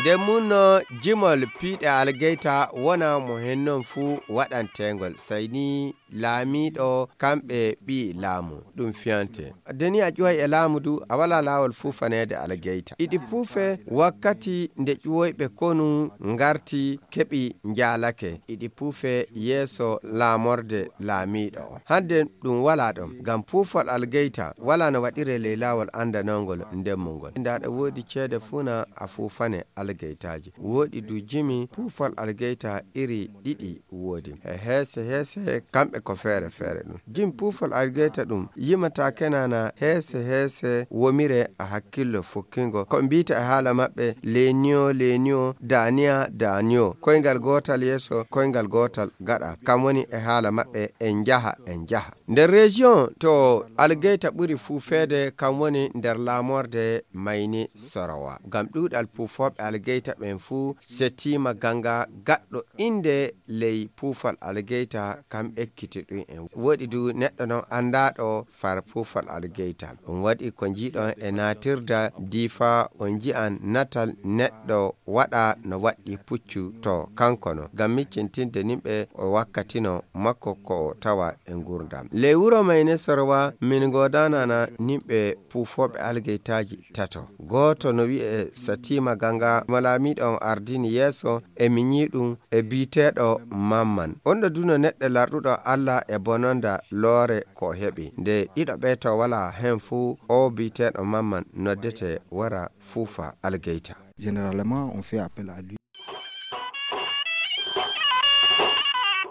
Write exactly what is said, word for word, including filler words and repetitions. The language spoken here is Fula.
Nde munno jimol piiɗe algeyta wona mo hennon fuu waɗanteengol, sayni laamiiɗo kamɓe ɓii laamu ɗum fiyante. Deni a ƴuway e laamu du, a wala laawol fuufaneede algeyta. Iɗi puufe wakkati nde ƴuwoyɓe konu ngarti keɓi njaalake. Iɗi puufe yeeso laamorde laamiiɗo on. Hande ɗum wala ɗon, ngam puufol algeyta wala no waɗire ley laawol andanongol ndemmungol. Nda ɗo woodi ceede fuu na a fuufane algeytaaji. Woodi du jimi puufol algeyta iri ɗiɗi woodi. E heese heese kamɓe ko feere feere ɗum. Jim puufol algeyta ɗum yimata kenana heese heese womire a hakkillo fukkingo. Ko mbiyta e haala maɓɓe leniyo leniyo, daniya daniyo. Koyngal gootal yeeso, koyngal gootal gaɗa. Kam woni e haala maɓɓe en njaha, en njaha. Nder région to algeyta ɓuri fuufeede, kam woni nder laamorde Mayni Sorowa. Ngam ɗuuɗal puufooɓe algeyta ɓen fuu, Setima Ganga, gaɗɗo innde ley puufal algeyta, kam ekkiti ɗum en. Woɗi du neɗɗo non anndaaɗo far puufal algeyta. Ɗum waɗi ko njiiɗon e naatirda Diifa, on nji'an natal neɗɗo waɗa no waɗɗi puccu to kanko non. Ngam miccintinde nimɓe o wakkatino makko ko o tawa e ngurdam. Ley wuro Mayne Sorwa, min ngoodanana nimɓe puufooɓe algeytaaji tato. Gooto no wi'e Satima Ganga, mo laamiiɗo on ardini yeeso, e miɲiiɗum e biiteeɗo Mamman. On ɗo duno neɗɗo larɗuɗo Allah e bononda loore ko o heɓi. Nde ɗiɗo ɓe to wala hen fuu, o biiteeɗo Mamman noddete wara fuufa algeyta. Généralement, on fait appel à lui.